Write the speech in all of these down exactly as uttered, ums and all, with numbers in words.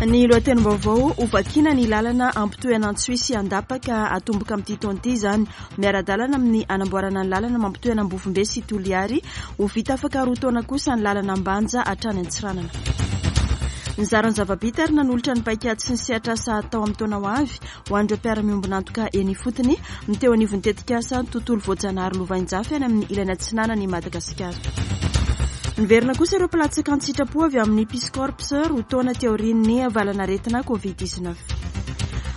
Ny lohatenim-baovao: hovakiana ny lalana ampitohy an'Antsohihy sy Andapa ka atomboka amin'ity taona ity izany. Miara-dalana amin'ny anamboarana ny lalana mampitohy an'Ambovombe sy Toliary. Ho vita afaka roa taona kosa ny lalana Ambanja hatrany Antsiranana. Nizara ny zava-bita ary nanolotra ny paikady sy ny sehatr'asa atao amin'ny taona ho avy ho an'ireo mpiara-miombon'antoka eny ifotony ny teo anivon'ny tetikasa tontolo voajanahary lovainjafy any amin'ny ilany atsinanan'i Madagasikara. Niverina kosa ireo mpilatsaka an-tsitrapo avy amin'ny Peace Corps roa taona teo aorian'ny valanaretina Covid dix-neuf.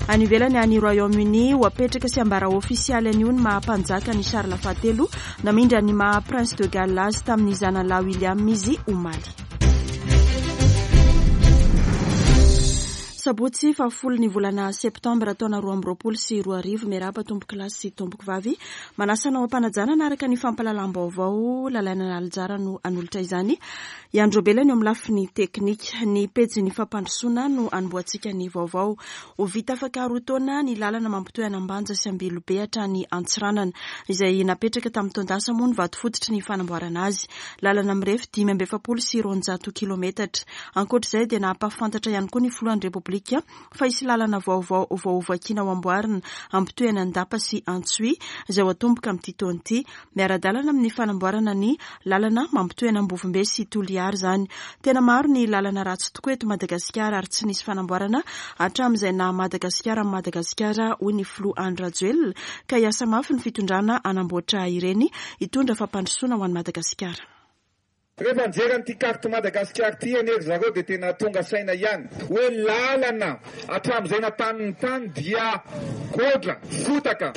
Any ivelany, any Royaume-Uni, ho apetraka sy ambara ofisialy anio ny maha mpanjaka ny Charles fahatelo. Namindra ny maha Prince de Galles azy tamin'ny zanalahy William izy omaly. Sabotsy fahafolo ny volana septambra taona roa amby roapolo sy roa arivo. Miarahaba tompoko lahy sy tompoko vavy. Manasa anao am-panajana araka ny fampahalalam-baovao. Lalaina Nalijara no anolotra izany. Iandrobelany eo amin'ny lafiny teknika. Ny pejin'ny fampandrosoana no anombohantsika ny vaovao. Ho vita afaka roa taona ny lalana mampitohy an'Ambanja sy Ambilobe hatrany Antsiranana, izay napetraka tamin'ny taon-dasa moa ny vato fototry ny fanamboarana azy. Lalana mirefy dimy amby efapolo sy roanjato kilometatra. Ankoatra izay dia nampahafantatra ihany koa ny filohan'ny Repoblika fa hisy lalana vaovao vao hovakiana ho amboarina ampitohy an'Andapa sy Antsohihy izay ho atomboka amin'ity taona ity. Miara-dalana amin'ny fanamboarana ny lalana mampitohy an'Ambovombe sy Toliary izany. Tena maro ny lalana ratsy tokoa eto Madagasikara ary tsy nisy fanamboarana hatramin'izay naha Madagasikara amin'i Madagasikara, hoy ny filoha Andry Rajoelina, ka hiasa mafy ny fitondrana hanamboatra ireny hitondra fampandrosoana ho an'i Madagasikara. Rehefa nijery an'ity carte Madagasikara ity anie ry zareo dia tena tonga saina ihany hoe lalana hatramin'izay natanin'ny tany dia godra, fotaka,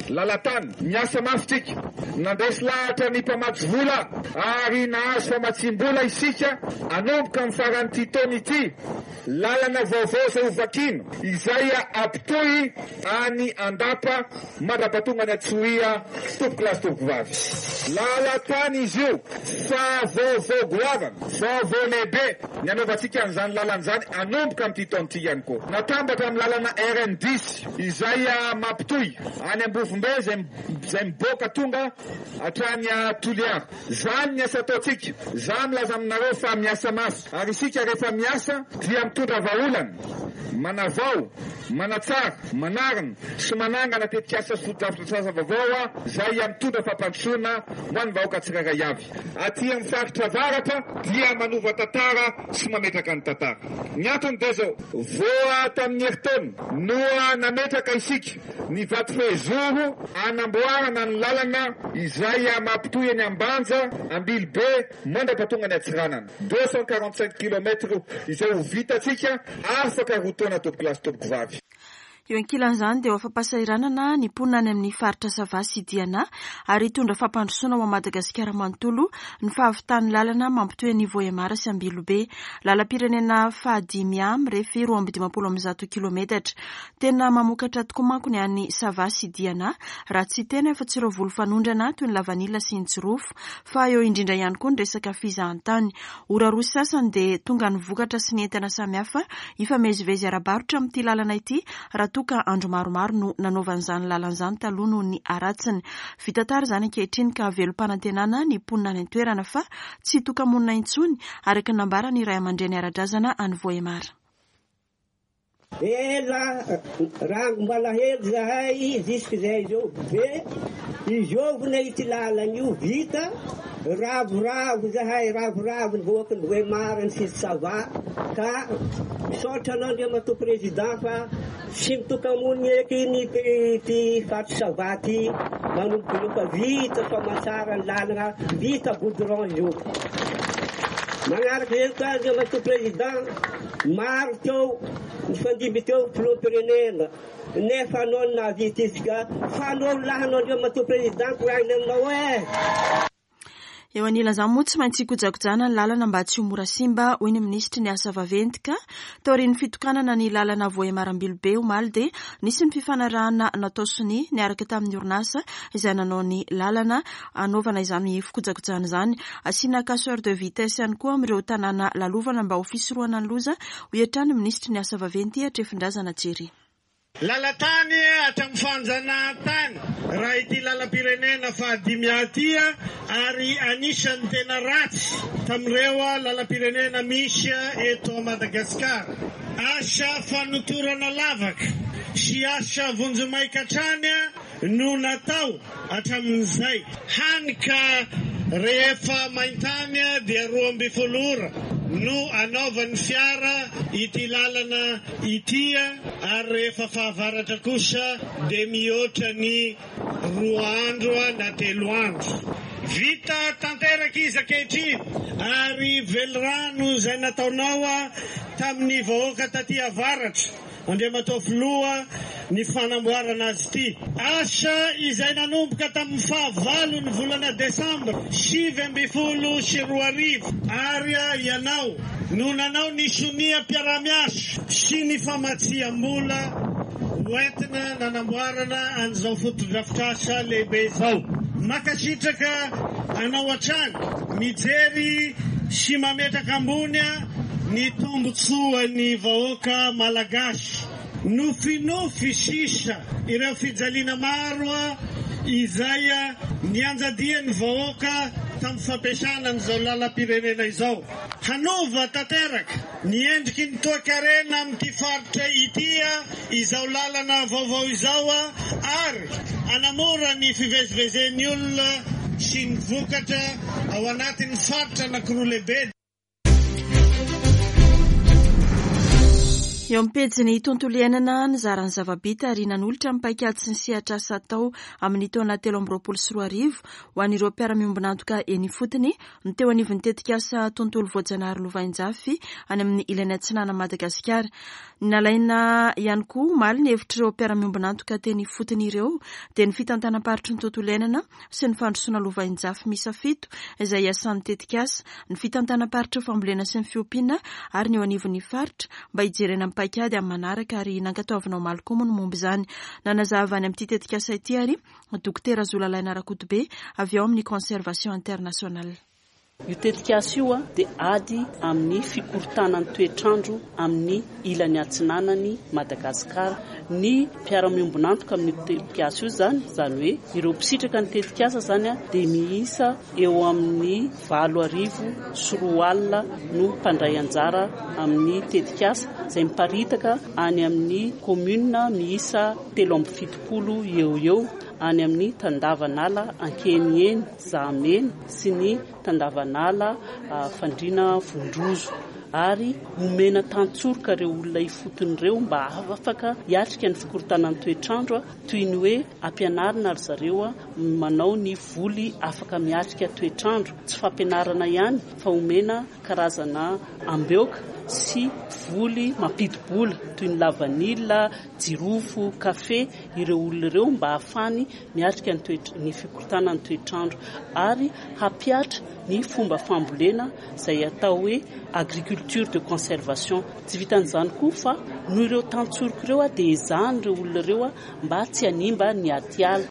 lalatany. Miasa mafy tsika, nandresy lahatra ny mpamatsy vola ary nahazo famatsiam-bola isika hanomboka amin'ny faran'ity taona ity. Lalana vaovao izay hovakiana izay ampitohy any Andapa mandra-pahatonga ny Antsohihy, tompoko lahy sy tompoko vavy. Lalatany izy io fa vaovao goavana, vaovao lehibe ny anaovantsika an'izany lalana izany hanomboka amin'ity taona ity ihany koa. Natambatra amin'ny lalana R N dix izay mampitohy any Ambovombe izay, izay miboaka tonga hatrany Toliara. Izany ny asa ataontsika. Za milaza aminareo fa miasa mafy ary isika rehefa miasa dia mitondra vahaolana, manavao, manatsara, manarina sy manangana tetikasa sy fotodrafitrasa vaovao izay mitondra fampandrosoana ho an'ny vahoaka tsirairay avy. Aty amin'ny faritra avaratra dia manova tantara sy mametraka ny tantara. Ny antony dia izao: voa tamin'ny herintaona no nametraka isika ny vato fehizoro anamboarana ny lalana izay mampitohy eny Ambanja, Ambilobe, mandra-pahatonga ny Antsiranana. deux cent quarante-cinq kilomètres izay ho vitantsika afaka roa taona tompoko lahy sy tompoko vavy. Eo ankilan'izany dia ho afa-pahasahiranana ny mponina any amin'ny faritra Sava sy Diana ary hitondra fampandrosoana ho an'i Madagasikara manontolo ny fahavitan'ny lalana mampitohy ny Vohemar sy Ambilobe. Lalam-pirenena fahadimy A mirefy roa amby dimampolo amby zato kilometatra. Tena mamokatra tokoa manko ny any Sava sy Diana, raha tsy tena efa tsy ireo voly fanondrana toy ny lavanila sy ny jirofo, fa eo indrindra ihany koa ny resaka fizahantany. Ora roa sasany dia tonga ny vokatra sy ny entana samihafa hifamezivezy ara-barotra amin'ity lalana ity raha toa ka andro maromaro no nanaovan'izany lalana izany taloha noho ny haratsiny. Vita tara izany ankehitriny ka velom-panantenana ny mponina any an-toerana fa tsy hitoka-monina intsony, araka ny nambaran'ny ray aman-dreny ara-drazana any Vohemar. Ela raha mbalahelo zahay jusqu'izay zao be izovina ity lalana io vita ravoravo zahay, ravoravo ny vahoaka ny Vohemar ny sisy Sava ka misaotra anao Andriamatoa Président fa tsy mitoka-monina eky ny ty faritra Sava ty manomboka eo fa vita soamantsara ny lalana, vita goudron io. Manaraka izay koa Andriamatoa Président, maro teo nifandimby teo filoham-pirenena nefa anao no nahavita izy ka fa anao lahanao Andriamatoa Président koragny aminao e. Eo anilan'izany moa tsy maintsy kojakojana ny lalana mba tsy ho mora simba, hoy ny minisitry ny asa vaventy ka taorian'ny fitokanana ny lalana Vohemar Ambilobe omaly dia nisy ny fifanarahana natao sonia niaraka tamin'ny orinasa izay nanao ny lalana hanaovana izany fikojakojana izany. Asiana casseur de vitesse ihany koa amin'ireo tanàna lalovana mba ho fisorohana ny loza, hoy hatrany ny minisitry ny asa vaventy Hatrefindrazana Jerry. Lalatany hatramin'ny fanjanahantany Raha ity lalam-pirenena fahadimy aty ary anisan'ny tena ratsy tamin'ireo lalam-pirenena misy eto Madagasikara. Asa fanotorana lavaka sy asa vonjimaika hatrany no natao hatramin'izay. Hany ka rehefa maintany dia roa ambin'ny folo ora no anaovan'ny fiara ity lalana ity, ary rehefa fahavaratra kosa dia mihoatra ny roa andro na telo andro. Vita tanteraka izy ankehitriny ary velirano izay nataonao tamin'ny vahoaka taty avaratra, Andriamatoa Filoha, ny fanamboarana azy ity. Asa izay nanomboka tamin'ny fahavalo ny volana desambra sivy ambin'ny folo sy roa arivo, ary ianao no nanao ny sonia mpiara-miasa sy ny famatsiam-bola hoentina nanamboarana an'izao fotodrafitrasa lehibe izao. Mankasitraka anao hatrany mijery sy mametraka ambony ny tombontsoan'ny vahoaka malagasy. Nofinofy sisa ireo fijaliana maro izay nianjadian'ny vahoaka tamin'ny fampiasana an'izao lalam-pirenena izao. Hanova tanteraka ny endriky ny toekarena amin'ity faritra ity izao lalana vaovao izao, ary hanamora ny fivezivezen'ny olona sy ny vokatra ao anatin'ny faritra anankiroa lehibe. Eo amin'ny pejin'ny tontolo iainana, nizara ny zava-bita ary nanolotra ny paikady sy ny sehatra asa atao amin'ny taona telo amby roapolo sy roa arivo ho an'ireo mpiara-miombon'antoka eny ifotony ny teo anivon'ny tetikasa tontolo voajanahary lovainjafy any amin'ny ilany atsinanan'i Madagasikara. Nalaina ihany koa omaly ny hevitr'ireo mpiara-miombon'antoka teny ifotony ireo dia ny fitantanam-paritry ny tontolo iainana sy ny fandrosoana lovainjafy miisa fito izay iasan'ny tetikasa, ny fitantanam-paritry ny fambolena sy ny fiompiana ary ny eo anivon'ny faritra mba hijerena ny paikady amin'ny manaraka, ary nankatoavina omaly koa moa ny momba izany. Nanazava any amin'ity tetikasa ity ary Dokotera Zolalaina Rakotobe avy ao amin'ny Conservation Internationale. Io tetikasa io dia ady amin'ny fikorontanan'ny toetrandro amin'ny ilany atsinanany Madagasikara. Ny mpiara-miombon'antoka amin'ny tetikasa io zany, izany hoe ireo mpisitraka ny tetikasa zany dia miisa eo amin'ny valo arivo sy roa alina no mpandray anjara amin'ny tetikasa izay miparitaka any amin'ny commune miisa telo amby fitopolo eo eo any amin'ny tandavanala Ankeniheny, Zahamena sy ny tandavanala Fandriana Vondrozo, ary omena tantsoroka ireo olona ifotony ireo mba afaka hiatrika ny fikorontanan'ny toetrandro, toy ny hoe ampianarina ry zareo manao ny voly afaka miatrika toetrandro. Tsy fampianarana ihany fa omena karazana ambeoka sy voly mampidi-bola toy ny lavanila, jirofo, kafe ireo olona ireo mba ahafahany miatrika ny toetra, ny fikorontanan'ny toetrandro, ary hampiatra ny fomba fambolena izay atao hoe agriculture de conservation. Tsy vitan'izany koa fa noho ireo tantsoroka ireo dia ezahana ireo olona ireo mba tsy hanimba ny atiala.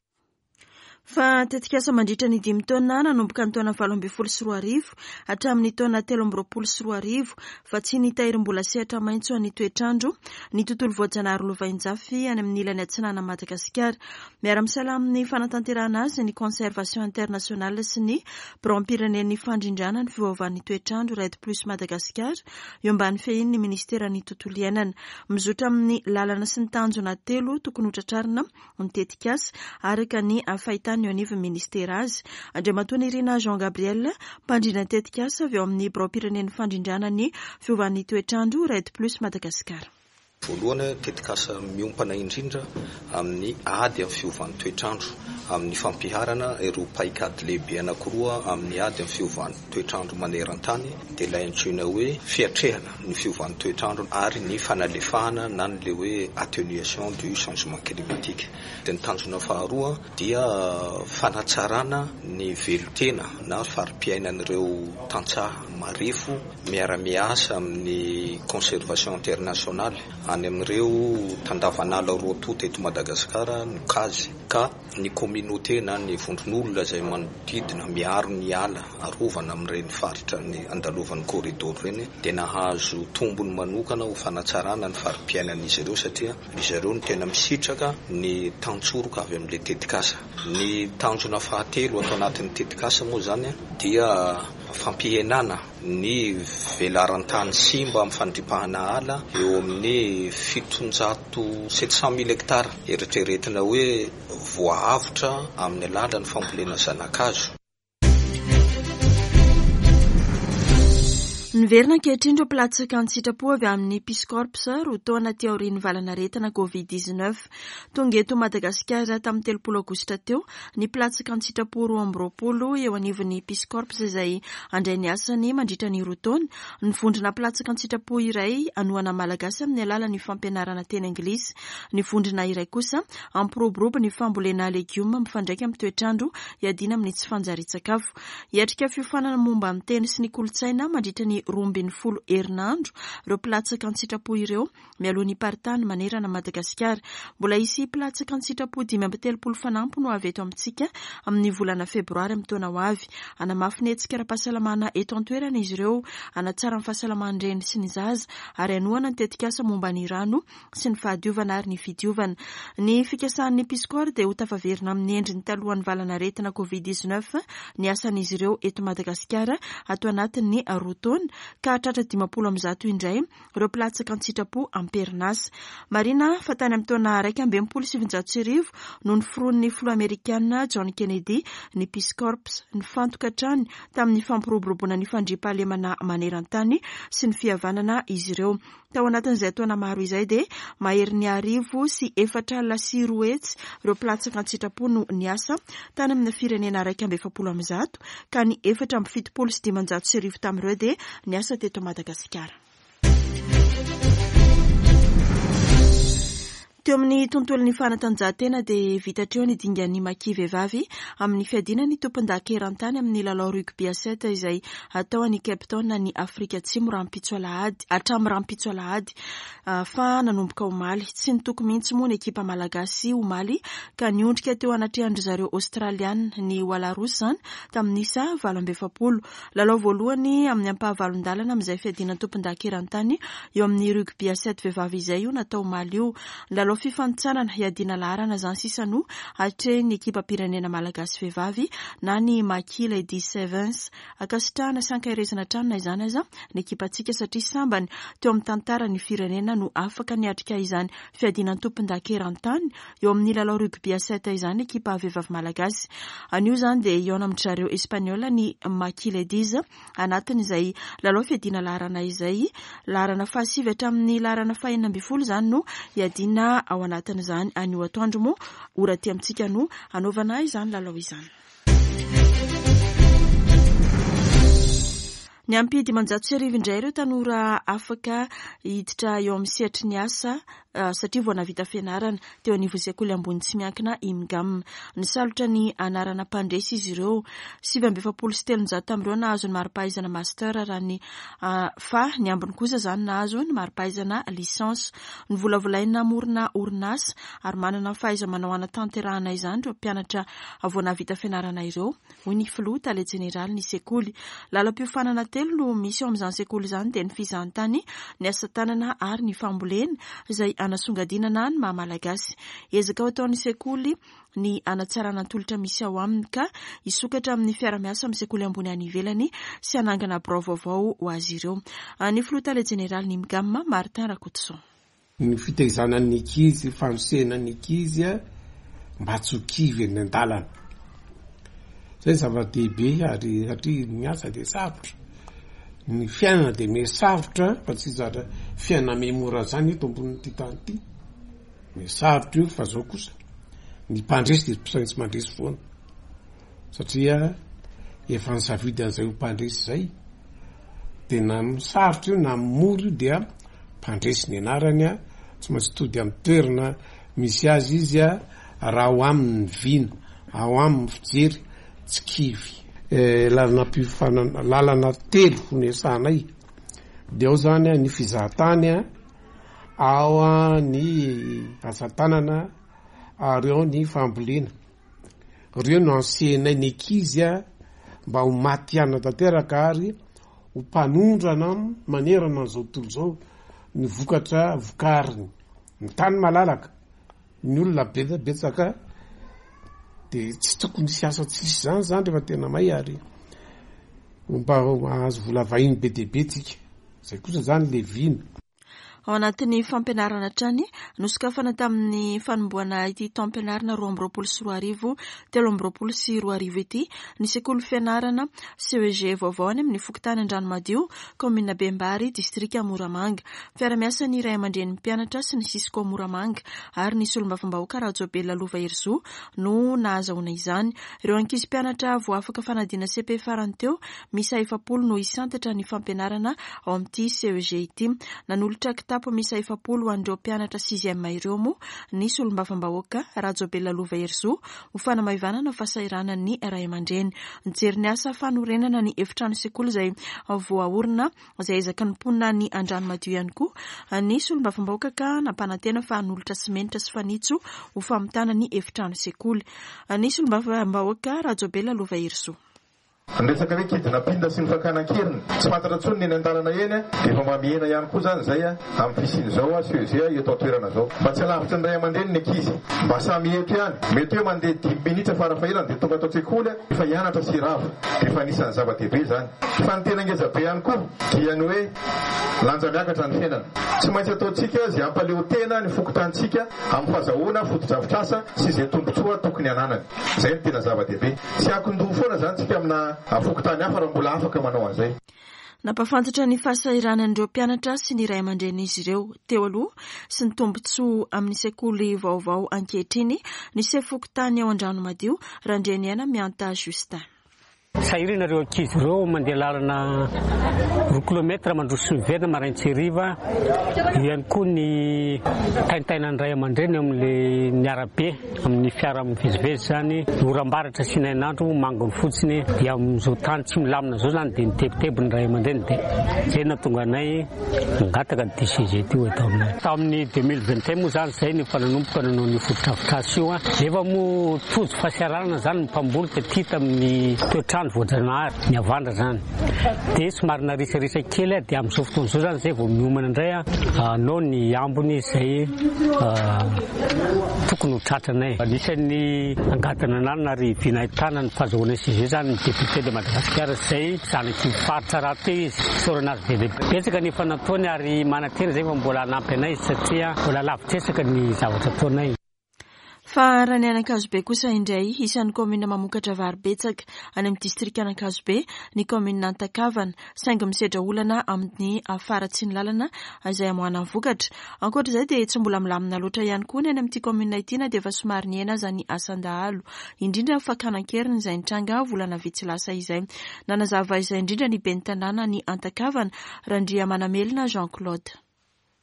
Fa tetikasa mandritra ny dimy taona nanomboka ny taona valo ambin'ny folo sy roa arivo hatramin'ny taona telo amby roapolo sy roa arivo fa tsy ny tahirim-bola sehatra maitso an'ny toetrandro ny tontolo voajanahary lovainjafy any amin'ny ilany atsinanan'i Madagasikara. Miara-misalahy amin'ny fanatanterahana azy ny Conservation Internationale sy ny Biraom-pirenen'ny fandrindrana ny fiovaovan'ny toetrandro REDD Plus Madagasikara eo ambany fehin'ny ministeran'ny tontolo iainana. Mizotra amin'ny lalana sy ny tanjona telo tokony ho tratrarina ny tetikasa araka ny fahitana eo anivon'ny ministera azy. Andriamatoa Nirina Jean Gabriel, mpandrindra ny tetikasa avy eo amin'ny Biraom-pirenen'ny fandrindrana ny fiovan'ny toetrandro REDD Plus Madagasikara. Voalohany, tetikasa miompana indrindra amin'ny ady amin'ny fiovan'ny toetrandro, amin'ny fampiharana ireo paikady lehibe anankiroa amin'ny ady amin'ny fiovan'ny toetrandro maneran-tany, dia ilay antsoina hoe fiatrehana ny fiovan'ny toetrandro ary ny fanalefahana na ny le hoe atténuation du changement climatique. Dia ny tanjona faharoa dia fanatsarana ny velon-tena na fari-piainan'ireo tantsaha marefo miara-miasa amin'ny Conservation Internationale any amin'ireo tandavanala roa tonta eto Madagasikara no kazy, ka ny communauté na ny vondron'olona izay manodidina miaro ny ala arovana amin'ireny faritra ny andalovan'ny corridor ireny dia nahazo tombony manokana ho fanatsarana ny fari-piainan'izy ireo, satria izy ireo no tena misitraka ny tantsoroka avy amin'ilay tetikasa. Ny tanjona fahatelo atao anatin'ny tetikasa moa zany dia fampihenana ny velaran-tany simba amin'ny fandripahana ala eo amin'ny fitonjato sept cent mille hectares, eritreretina hoe voaavotra amin'ny alalan'ny fambolena zanakazo. Niverina ankehitriny ireo mpilatsaka an-tsitrapo avy amin'ny Peace Corps roa taona aty aorian'ny valanaretina covid dix-neuf. Tonga eto Madagasikara tamin'ny telopolo aogositra teo ny mpilatsaka an-tsitrapo roa amby roapolo eo anivon'ny Peace Corps izay handray ny asany mandritra ny roa taona. Ny vondrona mpilatsaka an-tsitrapo iray hanohana malagasy amin'ny alalan'ny fampianarana teny anglisy. Ny vondrona iray kosa hampiroborobo ny fambolena legioma mifandraika amin'ny toetrandro hiadiana amin'ny tsy fanjarian-tsakafo. Hiatrika fiofanana momba ny teny sy ny kolontsaina mandritra ny roa ambin'ny folo herinandro ireo mpilatsaka an-tsitrapo ireo mialoha ny paritany manerana Madagasikara. Mbola hisy mpilatsaka an-tsitrapo dimy amby telopolo fanampy no avy eto amintsika amin'ny volana febroary amin'ny taona ho avy. Hanamafy ny hetsika ara-pahasalamana eto an-toerana izy ireo, hanatsara ny fahasalaman'ny reny sy ny zaza ary hanohana ny tetikasa momba ny rano sy ny fahadiovana ary ny fidiovana. Ny fikasan'ny Peace Corps dia ho tafaverina amin'ny endriny talohan'ny valanaretina covid dix-neuf ny asan'izy ireo eto Madagasikara ato anatin'ny roa taona, ka hatratra dimampolo amby zato indray ireo mpilatsaka an-tsitrapo am-perinasa. Marina fa tany amin'ny taona iraika amby enimpolo sy sivinjato sy arivo no noforonin'ny filoha amerikana John Kennedy ny Peace Corps, nifantoka hatrany tamin'ny fampiroboroboana ny fandriampahalemana maneran-tany sy ny fihavanana izy ireo. Tao anatin'izay taona maro izay dia maherin'ny arivo sy efatra alina sy roa hetsy ireo mpilatsaka an-tsitrapo no niasa tany amin'ny firenena iraika amby efapolo amby zato, ka ny efatra amby fitopolo sy dimanjato sy arivo tamin'ireo dia niasa teto Madagasikara. Teo amin'ny tontolon'ny fanatanjahantena dia vita hatreo ny dingan'ny Maki vehivavy amin'ny fiadiana ny tompon-daka eran-tany amin'ny lalao rugby à sept izay atao any Cape Town any Afrika Atsimo rahampitso alahady, hatramin'ny rahampitso alahady fa nanomboka omaly. Tsy nitoko mihitsy moa ny ekipa malagasy omaly ka niondrika teo anatrehan-dry zareo Australiana ny Wallaroos izany tamin'ny isa valo amby efapolo. Lalao voalohany amin'ny ampahavalon-dalana amin'izay fiadiana tompon-daka eran-tany eo amin'ny rugby à sept vehivavy izay io natao omaly io. Lalao fifanintsanana hiadiana laharana izany sisa no atrehin'ny ekipam-pirenena malagasy vehivavy na ny Maki Ladies Sevens. Ankasitrahana sy ankaherezana hatrany na izany aza ny ekipantsika satria sambany teo amin'ny tantara ny firenena no afaka niatrika izany fiadiana tompon-daka eran-tany eo amin'ny lalao rugby à sept izany ekipa vehivavy malagasy. Anio izany dia hihaona amin-dry zareo Espaniola ny Maki Ladies anatin'izay lalao fiadiana laharana izay. Laharana fahasivy hatramin'ny laharana fahenina ambin'ny folo izany no hiadiana ao anatin'izany. Anio atoandro moa ora aty amintsika no hanaovana izany lalao izany. Ny ampy dimanjato sy arivo indray ireo tanora afaka hiditra eo amin'ny sehatry ny asa satria vao nahavita fianarana teo anivon'ny sekoly ambony tsy miankina IMGAM. Nisalotra ny anarana mpandresy izy ireo. Sivy amby efapolo sy telonjato tamin'ireo nahazo ny mari-pahaizana master raha ny fa ny ambiny kosa izany nahazo ny mari-pahaizana licence. Novolavolaina namorona orinasa ary manana ny fahaiza-manao hanatanterahana izany ireo mpianatra vao nahavita fianarana ireo, hoy ny filoha tale jeneraly ny sekoly. Lalam-piofanana telo no misy eo amin'izany sekoly izany dia ny fizahantany, ny asa tanana ary ny fambolena izay anasongadinana ny maha malagasy. Ezaka ho ataon'ny sekoly ny hanatsarana ny tolotra misy ao aminy ka hisokatra amin'ny fiarahamiasa amin'ny sekoly ambony any ivelany sy hanangana birao vaovao ho azy ireo. Ny filoha tale jeneraly ny IMGAM, Martin Rakotoson. Ny fitaizana ny ankizy, fanosehana ny ankizy mba tsy ho kivy eny an-dalana. Izay zava-dehibe ary satria ny asa dia sarotra. Ny fiainana dia miha sarotra fa tsy zatra fiainana miha mora izany eto ambonin'ity tany ity. Miha sarotra io fa zao kosa ny mpandresy dia tsy maintsy mandresy foana. Satria efa nisafidy an'izay ho mpandresy izay dia na sarotra io na mora io dia mpandresy ny anarany, tsy maintsy tody amin'ny toerana misy azy izy raha ao aminy ny vina, ao aminy ny fijery, tsy kivy. Lalana mpiofanana, lalana telo no iasanay. Dia ao zany ny fizahantany Ao ny asa tanana ary ao ny fambolena. Ireo no ansehanay ny ankizy a mba ho matihanina tanteraka ary ho mpanondrana manerana an'izao tontolo izao ny vokatra vokariny. Ny tany malalaka, ny olona betsaka, dia tsy tokony hisy asa tsisy izany izany rehefa tena may ary mba hahazo vola vahiny be dia be tsika. Izay kosa izany le vina. Ao anatin'ny fampianarana hatrany, nosokafana tamin'ny fanombohana ity taom-pianarana roa amby roapolo sy roa arivo, telo amby roapolo sy roa arivo ity, ny sekoly fianarana C E G vaovao any amin'ny fokontany Andranomadio, kaominina Bembary, distrika Moramanga. Fiara-miasa ny ray aman-drenin'ny mpianatra sy ny Cisco Moramanga ary ny solombavambahoaka Rajaobelina Lova Herizo no nahazahoana izany. Ireo ankizy mpianatra voafaka fanadina C P farany teo, miisa efapolo no hisantatra ny fampianarana ao amin'ity C E G ity. Nanolotra kitapo miisa efapolo ho an'ireo mpianatra sixième ireo moa ny solombavambahoaka Rajaobelina Lova Herizo ho fanamaivanana fahasahiranan'ny ray aman-dreny. Nijery ny asa fanorenana ny efitrano sekoly izay voaorina izay ezaky ny mponina ny Andranomadio ihany koa ny solombavambahoaka ka nampanantena fa hanolotra simenitra sy fanitso ho famitana ny efitrano sekoly. Ny solombavambahoaka Rajaobelina Lova Herizo. Ny resaka hoe kidnapping sy ny fakana an-keriny tsy fantatra intsony ny eny an-dalana eny, dia efa mba mihena ihany koa izany izay amin'ny fisian'izao C E G eto an-toerana izao. Mba tsy alavitry ny ray aman-dreny ny ankizy, mba samy eto ihany. Mety hoe mandeha dimy minitra farafahelany dia tonga ato an-tsekoly, efa hianatra sy hirava. Dia efa anisan'ny zava-dehibe izany. Fa ny tena ngeza be ihany koa dia ny hoe lanja miakatra ny fiainana. Tsy maintsy ataontsika izay hampaleo tena ny fokontanintsika amin'ny fahazahoana fotodrafitrasa sy izay tombontsoa tokony hananany. Izay no tena zava-dehibe. Tsy akondoha foana izany tsika amina fokontany hafa raha mbola afaka manao an'izay. Nampafantatra ny fahasahiranan'ireo mpianatra sy ny ray aman-drenin'izy ireo teo aloha sy ny tombontsoa amin'ny sekoly vaovao ankehitriny ny sefo fokontany ao Andranomadio, Randrianiaina Mianta Justin. Sahirana ireo ankizy ireo mandeha lalana roa kilometra mandroso sy miverina marain-tsy hariva. Eo ihany koa ny taintainan'ny ray aman-dreny amin'ilay ny arabe amin'ny fiara mivezivezy izany, ny oram-baratra sy ny hainandro mangony fotsiny, dia amin'izao tany tsy milamina izao izany dia mitebiteby ny ray aman-dreny, dia izay no nahatonga anay nangataka ny D C G ity ho eto aminay. Tamin'ny deux mille vingt et un moa izany izay no efa nanomboka nanao ny fotodrafitrasa io. Nefa moa tojo fahasahiranana izany ny mpamboly taty tamin'ny toetrandro voajanahary ny havandra izany, dia somary narisarisa kely, dia amin'izao fotoana izao izany izay vao miomana indray hanao ny ambiny izay tokony ho tratranay. Anisan'ny angadana ananana ary vina ahitana ny fahazahoana C G izany ny député de Madagasikara izay zanaky ny faritra rahateo izy. Isaorana azy be dia be. Betsaka ny efa nataony ary manantena izay fa mbola hanampy anay izy satria mbola lavitresaka ny zavatra ataonay. Fa raha ny any Ankazobe kosa indray, isan'ny kaominina mamokatra vary betsaka any amin'ny distrikan'Ankazobe ny kaominina Antakavana, saingy misedra olana amin'ny faharatsian'ny lalana izay amoahana ny vokatra. Ankoatra izay dia tsy mbola milamina loatra ihany koa ny any amin'ity kaominina ity na dia efa somary nihena aza ny asan-dahalo, indrindra ny fakana an-keriny izay nitranga volana vitsy lasa izay. Nanazava izay indrindra ny ben'ny tanàna ny Antakavana, Randriamanamelona Jean Claude.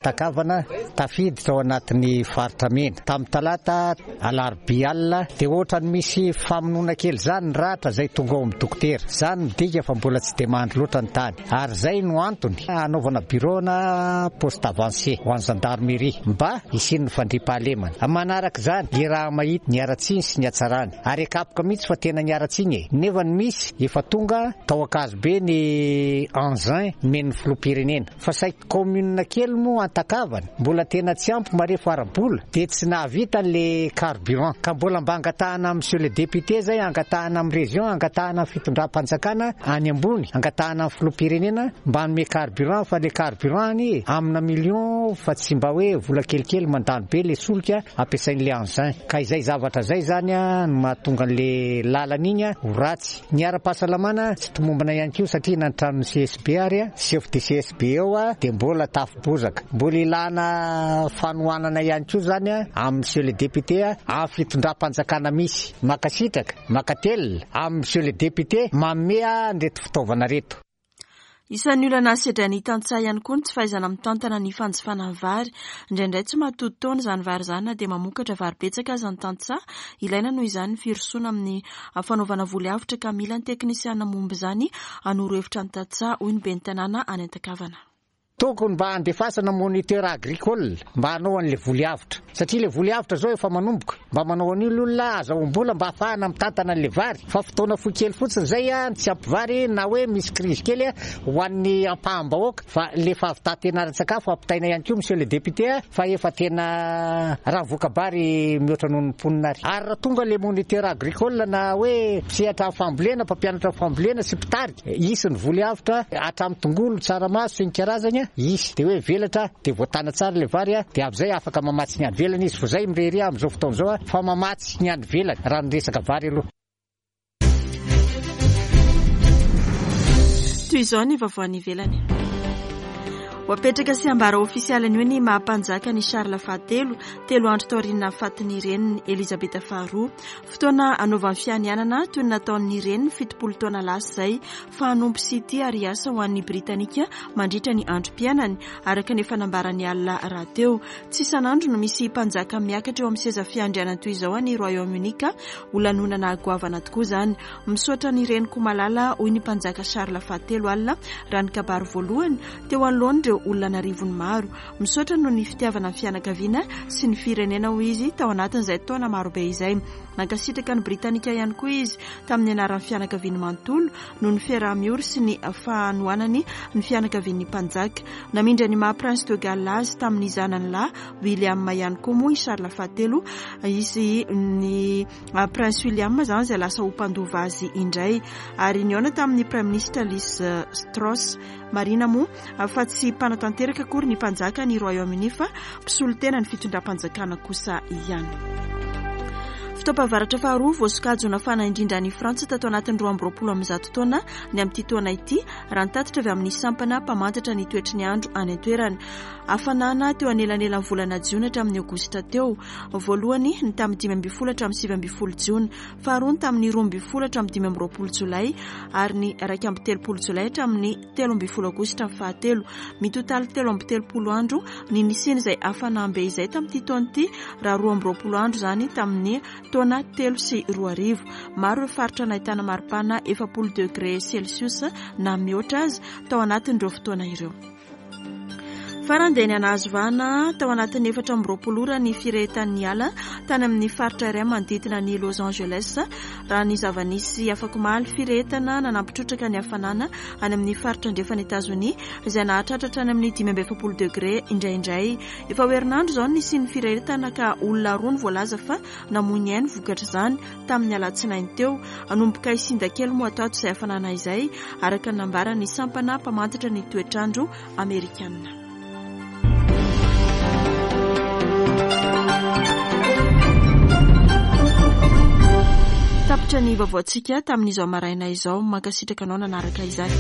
Antakavana tafiditra ao anatin'ny faritra mena. Tamin'ny talata alarobia alina dia ohatrany misy famonoana kely izany ny ratra izay tonga ao amin'ny dokotera. Izany midika fa mbola tsy dia mandry loatra ny tany. Ary izay no antony hanaovana bureau na poste avancé ho an'ny gendarmerie mba hisian'ny fandriampahalemana. Manaraka izany ny raha mahita ny haratsiny sy ny hatsarany. Ary akapoka mihitsy fa tena ny haratsiny e. Nefa ny misy efa tonga tao Ankazobe ny engin nomen'ny filoham-pirenena. Fa saiky commune kely moa Antakavana mbola tena tsy ampy marefo ara-bola dia tsy nahavita le carburant. Ka mbola mba angatahana amin'ny monsieur le député zay, angatahana amin'ny région, angatahana amin'ny fitondram-panjakana any ambony, angatahana amin'ny filoham-pirenena mba hanome carburant, fa le carburant any amina million fa tsy mba hoe vola kelikely mandany be le solika ampiasain'le engin. Ka izay zavatra zay zany a no mahatonga an'le lalana iny a ho ratsy. Ny ara-pahasalamana tsy tomombana ihany koa satria na ny tranon'ny C S B ary a, chef de C S B eo a dia mbola tafobozaka. Mbola ilana fanohanana ihany koa zany a amin'ny monsieur le député a, amin'ny fitondram-panjakana misy. Makasitraka, makatelina amin'ny monsieur le député manome an'ireto fitaovana ireto. Isan'ny olana sedrain'ny tantsaha ihany koa ny tsy fahaizana mitantana ny fanjifana ny vary. Indraindray tsy mahatody taona izany vary izany na dia mamokatra vary betsaka aza ny tantsaha. Ilaina noho izany ny firosoana amin'ny fanaovana voly avotra ka mila ny teknisiana momba izany hanoro hevitra ny tantsaha, hoy ny ben'ny tanàna any Antakavana. Tokony mba andefasana moniteur agricole mba hanao an'le voly avotra, satria le voly avotra zao efa manomboka, mba manao an'io ny olona azahoam-bola mba ahafahana mitantana an'le vary, fa fotoana fohy kely fotsiny zay a tsy ampy vary na hoe misy crise kely a ho an'ny ampaham-bahoaka, fa le fahavitantena ara-tsakafo ampitaina ihany koa monsieur le député a, fa efa tena raha voka-bary mihoatra noho ny mponina ary. Ary raha tonga le moniteur agricole na hoe mpisehatra fambolena, mpampianatra fambolena sy mpitarika, hisy ny voly avotra hatramin'ny tongolo, tsaramaso sy ny karazany, hisy dia hoe velatra dia voatana tsara le vary a, dia amin'izay afaka mamatsy ny any ivelany izy, fa zay mirehareha amin'izao fotoana izao a fa mamatsy ny any ivelany raha ny resaka vary aloha. Toy izao ny vaovao any ivelany. Ho apetraka sy ambara ofisialy anio ny maha-mpanjaka ny Charles fahatelo, telo andro taorian'ny nahafatin'ny reniny Elizabeth faharoa. Fotoana anaovan'ny fianianana toy ny nataon'ny reniny fitopolo taona lasa izay, fa hanompo sy tia ary hiasa ho an'ny Britanika mandritra ny androm-piainany, araka ny efa nambarany alina rahateo. Tsy isan'andro no misy mpanjaka miakatra eo amin'ny seza fiandrianana toy izao any Royaume-Uni ka ho lanonana goavana tokoa izany. Misaotra ny reniko malala, hoy ny mpanjaka Charles fahatelo alina raha ny kabary voalohany teo anoloan'ireo olona an'arivony maro. Misaotra noho ny fitiavana ny fianakaviana sy ny firenena, hoy izy tao anatin'izay taona marobe izay. Nankasitraka ny Britanika ihany koa izy tamin'ny anaran'ny fianakaviany manontolo noho ny fiaraha-miory sy ny fanohanany ny fianakavian'ny mpanjaka. Namindra ny maha prince de Galles azy tamin'ny zanany lahy William ihany koa moa i Charles fahatelo, izy ny prince William zany izay lasa ho mpandova azy indray, ary nihaona tamin'ny prime ministre Liz Truss. Marina moa fa tsy mpanatanteraka akory ny mpanjaka ny Royaume-Uni fa mpisolo tena ny fitondram-panjakana kosa ihany. Fotoam-pahavaratra faharoa voasokajy ho nafana indrindra any Frantsa tato anatin'ny roa amby roapolo amby zato taona ny amin'ity taona ity, raha ny tatitra avy amin'ny sampana mpamantatra ny toetry ny andro any an-toerana. Hafanana teo anelanelan'ny volana jiona hatramin'ny aogositra teo. Voalohany ny tamin'ny dimy ambin'ny folo hatramin'ny sivy ambin'ny folo jiona, faharoa ny tamin'ny roa ambin'ny folo hatramin'ny dimy amby roapolo jolay, ary ny iraika amby telopolo jolay hatramin'ny telo ambin'ny folo aogositra ny fahatelo. Mitotaly telo amby telopolo andro ny nisian'izay hafanam-be izay tamin'ity taona ity, raha roa amby roapolo andro izany tamin'ny taona telo sy roa arivo. Maro ireo faritra nahitana maripana efapolo degré celsius na mihoatra azy tao anatin'ireo fotoana ireo. Farany dia ny nahazo vahana tao anatin'ny efatra amby roapolo ora ny firehetan'ny ala tany amin'ny faritra iray manodidina ny Los Angeles, raha ny zava-nisy afak'omaly. Firehetana nanampy trotraka ny hafanana any amin'ny faritra andrefan'i Etazonia izay nahatratra hatrany amin'ny dimy amby efapolo degré indraindray. Efa ho herinandro izao nisian'ny firehetana ka olona roa no voalaza fa namoy ny ainy vokatr'izany tamin'ny alatsinainy teo. Hanomboka hisinda kely moa atao izay hafanana izay, araka ny nambaran'ny sampana mpamantatra ny toetrandro amerikana. Tapitra ny vaovaontsika tamin'izao maraina izao. Mankasitraka anao nanaraka izany.